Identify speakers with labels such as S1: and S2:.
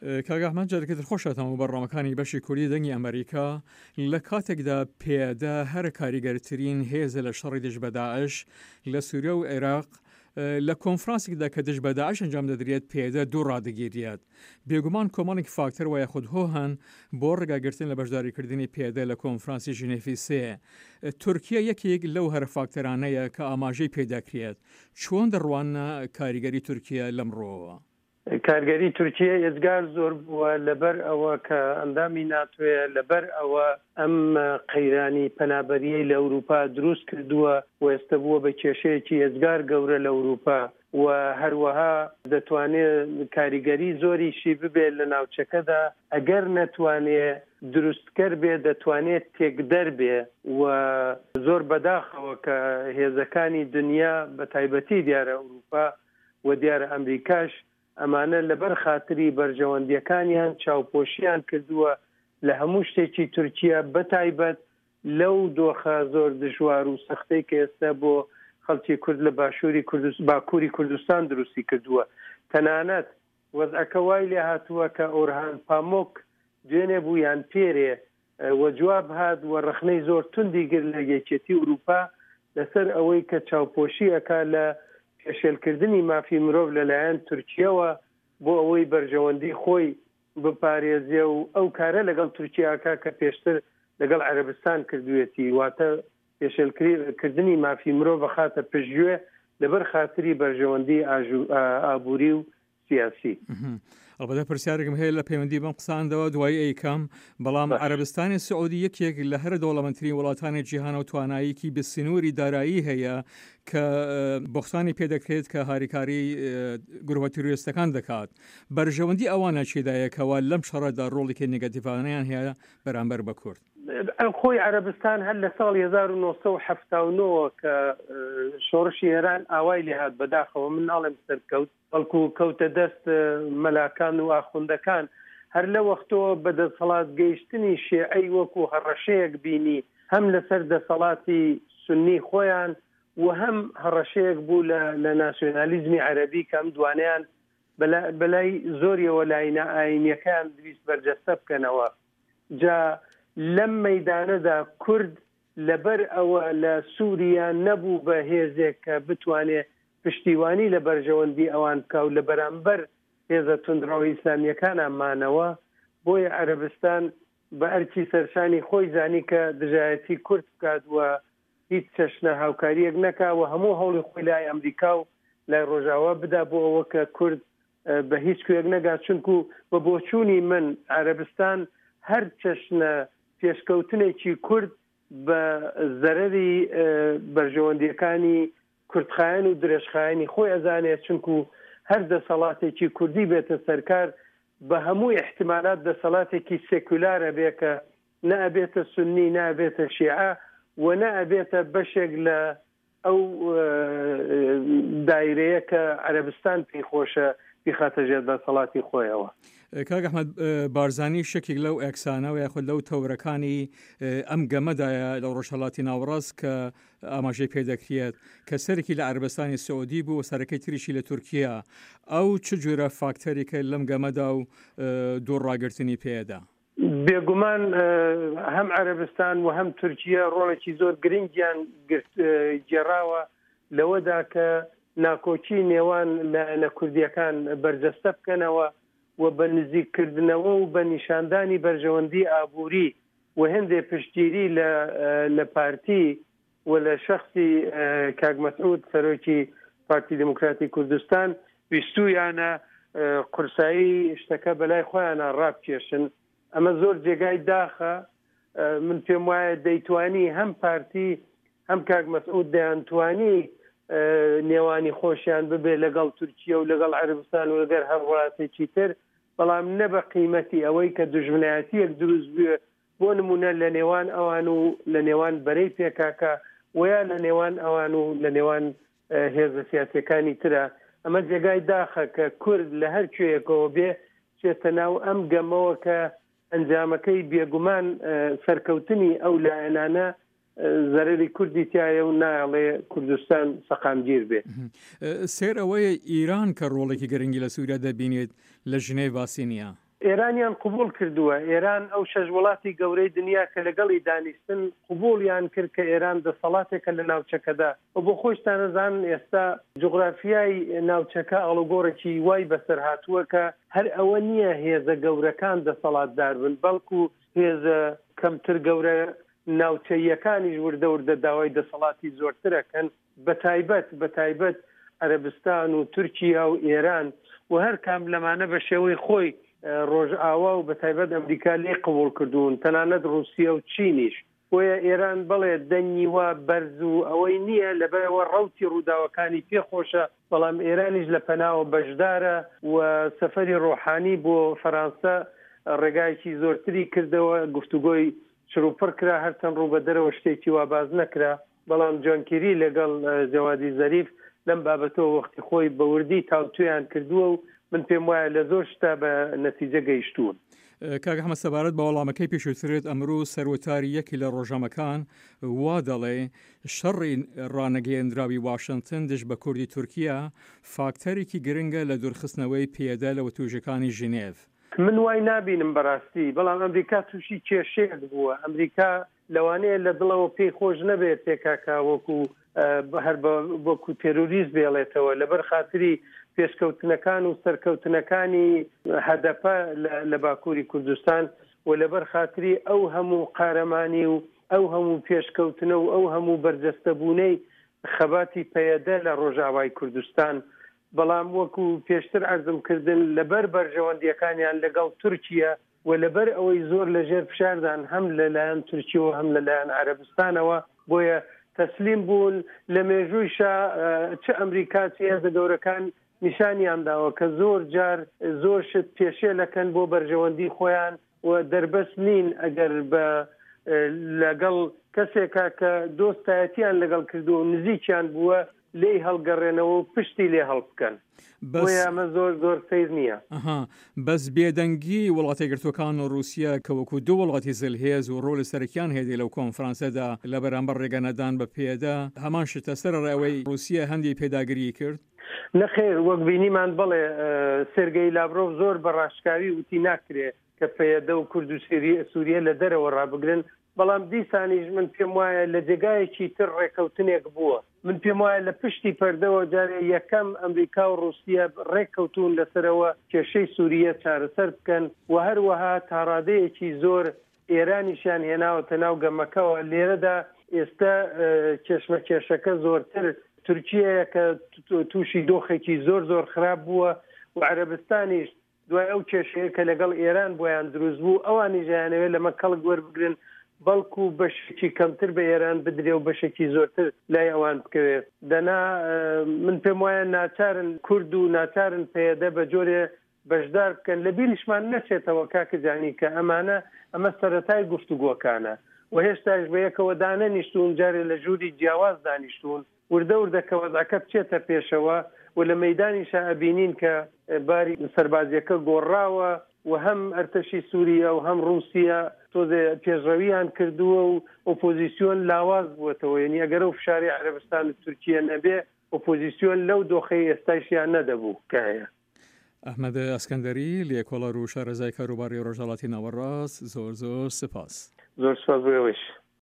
S1: کاک ئەحمەد جارێکی تر خۆش هاتەوە بەرنامەکانی بەشی کوردی دەنگی ئەمریکا لە کاتێکدا پێدە هەرە کاریگەرترین هێزە لە شەڕی دژ بە داعش لە سووریا و عێراق لە کۆنفرانسێکدا کە دژ بە داعش ئەنجام دەدرێت پێدە دوو ڕادەگیرێت بێگومان کۆمەڵێک فاکتەر وە یاخود هۆ هەن بۆ ڕێگاگرتن لە بەشداریکردنی پێدە لە کۆنفرانسی ژنێفی سێ تورکیا یەکێک لەو هەرە فاکتەرانەیە کە ئاماژەی پێدەکرێت چۆن دەڕواننە کاریگەری تورکیا لەم ڕووەوە؟
S2: کارگەری تورکیە ئێجگار زۆر بووە لەبەر ئەوە کە ئەندامی ناتۆیە، لەبەر ئەوە ئەم قەیرانی پەنابەریەی لە ئەوروپا دروست کردووە و ئێستە بووە بە کێشەیەکی ئێجگار گەورە لە ئەوروپا و هەروەها دەتوانێ کاریگەری زۆریشی ببێ لە ناوچەکەدا ئەگەر نەتوانێ دروستکەر بێ دەتوانێ تێکدەر بێ و زۆر بەداخەوە کە هێزەکانی دنیا بە تایبەتی دیارە ئەوروپا و دیارە ئەمریکاش ئەمانە لەبەر خاتری بەرژەوەندیەکانیان چاوپۆشیان کردووە لە هەموو شتێکی تورکیە بەتایبەت لەو دۆخە زۆر دژوار و سەختەی کە ئێستا بۆ خەڵکی کورد لە باشووری کوردست باکووری کوردستان دروستی کردووە تەنانەت وەزعەکە وای لێ هاتووە کە ئۆرهان پامۆک دوێنێ بوو یان پێرێ وە جواب هات و ڕەخنەی زۆر توندی گرت لە یەکێتی ئوروپا لەسەر ئەوەی کە چاوپۆشی ئەکا لە پێشێلکردنی مافی مرۆڤ لەلایەن تورکیەوە بۆ ئەوەی بەرژەوەندی خۆی بپارێزێ و ئەو کارە لەگەڵ تورکیا ئەکا کە پێشتر لەگەڵ عەرەبستان کردوێتی واتە پێشێلکردنی مافی مرۆڤ ئەخاتە پشتگوێ لەبەر خاتری بەرژەوەندی ئابوری و سیاسی.
S1: ئەڵبەتە پرسیارێکم هەیە لە پەیوەندی بەم قساندەوە دوایی ئەیکەم بەڵام عەرەبستانی سعودی یەکێک لە هەرە دەوڵەمەندترین وڵاتانی جیهانە و تواناییکی بە سنووری دارایی هەیە کە بۆختانی پێدەکرێت کە هاریکاری گروپە تیرۆریستەکان دەکات بەرژەوەندی ئەوانە چێدایە کەوا لەم شەڕەدا ڕۆڵێکی نگەتیڤانەیان هەیە بەرامبەر بە کورد.
S2: خۆی عەرەبستان هەر لە ساڵی 1970 کە شۆڕشی ئێران ئاوای لێهات بەداخەوە من ناڵێم سەرکەوت بەڵکو کەوتە دەست مەلاکان و ئاخوندەکان، هەر لەوەختەوە بە دەسەڵات گەیشتنی شێعەی وەکو هەڕەشەیەک بینی هەم لەسەر دەسەڵاتی سوننی خۆیان و هەم هەڕەشەیەک بوو لە لە ناسیۆنالیزمی عەرەبی کە ئەم دوانەیان بەلای زۆریەوە لاینە ئایینیەکەیان دویست بەرجەستە بکەنەوە. جا لەم مەیدانەدا کورد لەبەر ئەوە لە سوریا نەبوو بە هێزێک کە بتوانێ پشتیوانی لە بەرژەوەندی ئەوان بکا و لە بەرامبەر هێزە توندڕەوە ئیسلامییەکانا مانەوە، بۆیە عەرەبستان بە ئەرکی سەرشانی خۆی زانی کە دژایەتی کورد بکات و هیچ چەشنە هاوکارییەک نەکا و هەموو هەوڵی خۆی لای ئەمریکا و لای ڕۆژاوا بدا بۆ ئەوە کە کورد بە هیچ کوێک نەگا، چونکو بە بۆچوونی من عەرەبستان هەر چەشنە پێشکەوتنێکی کورد بە زەرەری بەرژەوەندیەکانی کورتخایەن و درێژخایەنی خۆی ئەزانێ، چونکو هەر دەسەڵاتێکی کوردی بێتە سەرکار بە هەموو ئیحتیمالات دەسەڵاتێکی سێکولار ئەبێ کە نە ئەبێتە سوننی نە ئەبێتە شیعە و نە ئەبێتە بەشێک لە ئەو دایرەیە کە عەرەبستان پێی خۆشە بیخاتە ژێر دەسەڵاتی خۆیەوە.
S1: کاک ئەحمەد بارزانی شەکێک لەو ئەکسانە و یاخود لەو تەورەکانی ئەم گەمەدایە لە ڕۆژهەڵاتی ناوەڕاست کە ئاماژەی پێدەکرێت کە سەرێکی لە عەربستانی سعودی بوو و سەرەکەی تریشی لە تورکیا ئەو چ جۆرە فاکتەرێکە لەم گەمەدا و دوور ڕاگرتنی پێدا؟
S2: بێگومان هەم عەرەبستان و هەم تورکیە ڕۆڵێکی زۆر گرنگیان گێڕاوە لەوەدا کە ناکۆکی نێوان لایەنە کوردیەکان بەرجەستە بکەنەوە و بە نزیککردنەوە و بە نیشاندانی بەرژەوەندی ئابووری و هێندێ پشتگیری لە لە پارتی و لە شەخسی کاک مەسعود سەرۆکی پارتی دیموکراتی کوردستان ویستوویانە قورسایی شتەکە بەلای خۆیانە ڕابکێشن. ئەمە زۆر جێگای داخە. من پێم وایە دەیتوانی هەم پارتی هەم کاک مەسعود دەیانتوانی نێوانی خۆشیان ببێ لەگەڵ تورکیە و لەگەڵ عەرەبستان و لەگەر هەر وڵاتێکی تر، بەڵام نە بە قیمەتی ئەوەی کە دوژمنایەتییەک دروست بوێ بۆ نموونە لە نێوان ئەوان و لە نێوان بەرەی پێکاکە ویا لە نێوان ئەوان و لە نێوان هێزە سیاسیەکانی ترە. ئەمە جێگای داخە کە کورد لە هەر کوێیەکەوە بێ چێتە ناو ئەم گەمەوە کە ئەنجامەکەی بێگومان سەرکەوتنی ئەو لایەنانە زەرەری کوردی تایە و نایەڵێ کوردستان سەقامگیر بێ.
S1: سەیر ئەوەیە ئیران کە ڕۆڵێکی گرنگی لە سووریا دەبینێت لە ژنێڤ باسی نییە.
S2: ئێرانیان قبوڵ کردووە، ئێران ئەو شەش وڵاتی گەورەی دنیا کە لەگەڵی دانیشتن قبوڵیان کرد کە ئێران دەسەڵاتێکە لە ناوچەکەدا و بۆ خۆیشتان ئەزانن ئێستا جوغرافیای ناوچەکە ئاڵوگۆڕێکی وای بەسەر هاتووە کە هەر ئەوە نییە هێزە گەورەکان دەسەڵاتدار بن بەڵکو هێزە کەمتر گەورە ناوچەییەکانیش وردە وردە داوای دەسەڵاتی زۆرتر ئەکەن. بەتایبەت بەتایبەت عەرەبستان و تورکیا و ئێران و هەر کام لەمانە بە شێوەی خۆی ڕۆژئاوا و بەتایبەت ئەمریکا لێی قبوڵ کردوون تەنانەت ڕووسیە و چینیش. بۆیە ئێران بەڵێ دەنگی وا بەرز و ئەوەی نییە لەبەرئەوە ڕەوتی ڕووداوەکانی پێ خۆشە بەڵام ئێرانیش لە پەناوە بەشدارە و سەفەری ڕۆحانی بۆ فەرانسە ڕێگایەکی زۆرتری کردەوە گفتوگۆی چڕوپڕ کرا هەرچەند ڕوو بە دەرەوە شتێکی وا باس نەکرا. بەڵام جۆن کیری لەگەڵ جەوادی زەریف لەم بابەتەوە وەختی خۆی بە وردی تاوتوێیان کردووە و من پێم وایە لە زۆر شتدا بە نەتیجە گەیشتوون.
S1: کاک ئەحمەد سەبارەت بە وەڵامەکەی پێشووترت ئەمرۆ سەروتاری یەکی لە ڕۆژنامەکان وا دەڵێ شەڕی ڕانەگەیەندراوی واشنتن دژ بە کوردی تورکیە فاکتەرێکی گرنگە لە دوورخستنەوەی پەیەدە لە وتووێژەکانی ژنێڤ.
S2: من وای نابینم بەڕاستی، بەڵام ئەمریکا تووشی کێشەیەک بووە، ئەمریکا لەوانەیە لە دڵەوە پێی خۆش نەبێت پێکاکا وەکو هەر وەکو تێرۆریست بێڵێتەوە لەبەر خاتری پێشکەوتنەکان و سەرکەوتنەکانی هەدەپە لە باکووری کوردستان و لەبەر خاتری ئەو هەموو قارەمانی و ئەو هەموو پێشکەوتنە و ئەو هەموو بەرجەستەبوونەی خەباتی پەیەدە لە ڕۆژاوای کوردستان بەڵام وەکو پێشتر عەرزم کردن لەبەر بەرژەوەندیەکانیان لەگەڵ تورکیە و لەبەر ئەوەی زۆر لە ژێر فشاردان هەم لە لایەن تورکیەوە هەم لە لایەن عەرەبستانەوە بۆیە تەسلیم بوون، لە مێژوویشا چ ئەمریکا چ هێزە گەورەکان نیشانیان داوە کە زۆر جار زۆر شت پێشێلەکەن بۆ بەرژەوەندی خۆیان و دەربەست نین ئەگەر بە لەگەڵ کەسێکا کە دۆستایەتیان لەگەڵ کردووە و نزیکیان بووە لێی هەڵگەڕێنەوە و پشتی لێ هەڵبکەن.
S1: بەس
S2: بۆیە ئەمە زۆر زۆر سەیر نییە.
S1: ئەها بەس بێدەنگی وڵاتەیەکگرتووەکان و ڕووسیە کە وەکوو دوو وڵاتی زلهێز و ڕۆڵی سەرەکیان هەیە لەو کۆنفرانسەدا لە بەرامبەر ڕێگە نەدان بە پەیەدە هەمان شتە سەرەڕای ئەوەی ڕووسیە هەندی پێداگریی کرد.
S2: نەخێر وەک بینیمان بەڵێ سێرگەی لاڤرۆڤ زۆر بە ڕاشکاوی وتی ناکرێ کە پەیەدە و کورد و سوریە لە دەرەوە ڕابگرن، بەڵام دیسانیش من پێم وایە لە جێگایەکی تر ڕێکەوتنێک بووە. من پێم وایە لە پشتی پەردەوە جارێ یەکەم ئەمریکا و ڕووسیە ڕێککەوتوون لەسەرەوە کێشەی سوریە چارەسەر بکەن و هەروەها تاڕادەیەکی زۆر ئێرانیشیان هێناوەتە ناو گەمەکەوە. لێرەدا ئێستە کێشمەکێشەکە زۆرتر تورکیەیە کە تووشی دۆخێکی زۆر زۆر خراپ بووە و عەرەبستانیش دوای ئەو کێشەیە کە لەگەڵ ئێران بۆیان دروست بوو، ئەوانیش ئەیانەوێت لەمە کەڵک وەربگرن، بەڵکو بەشێکی کەمتر بە ئێران بدرێ و بەشێکی زۆرتر لای ئەوان بکەوێ. دەنا من پێم وایە ناچارن کورد و ناچارن پەیەدە بە جۆرێ بەشدار بکەن. لە بیریشمان نەچێتەوە کاکە جانی کە ئەمانە ئەمە سەرەتای گفتوگۆکانە و هێشتایش بە یەکەوە دانەنیشتوون، جارێ لە ژووری جیاواز دانیشتوون. وردە وردە کە وەزعەکە بچێتە پێشەوە و لە مەیدانیشا ئەبینین کە باری سەربازیەکە گۆڕاوە و هەم ئەرتەشی سوریە و هەم ڕووسیە تۆزێ پێشڕەویان کردووە و ئۆپۆزیسیۆن لاواز بووەتەوە یەنی ئەگەر ئەو فشارەی عەرەبستان و تورکیە نەبێ ئۆپۆزیسیۆن لەو دۆخەی ئێستایشیا نەدەبوو کە هەیە.
S1: ئەحمەد ئەسکەندەری، لێکۆڵەر و شارەزای کاروباری ڕۆژهەڵاتی ناوەڕاست، زۆر زۆر سپاس.
S2: زۆر سپاس بۆ ئێوەیش.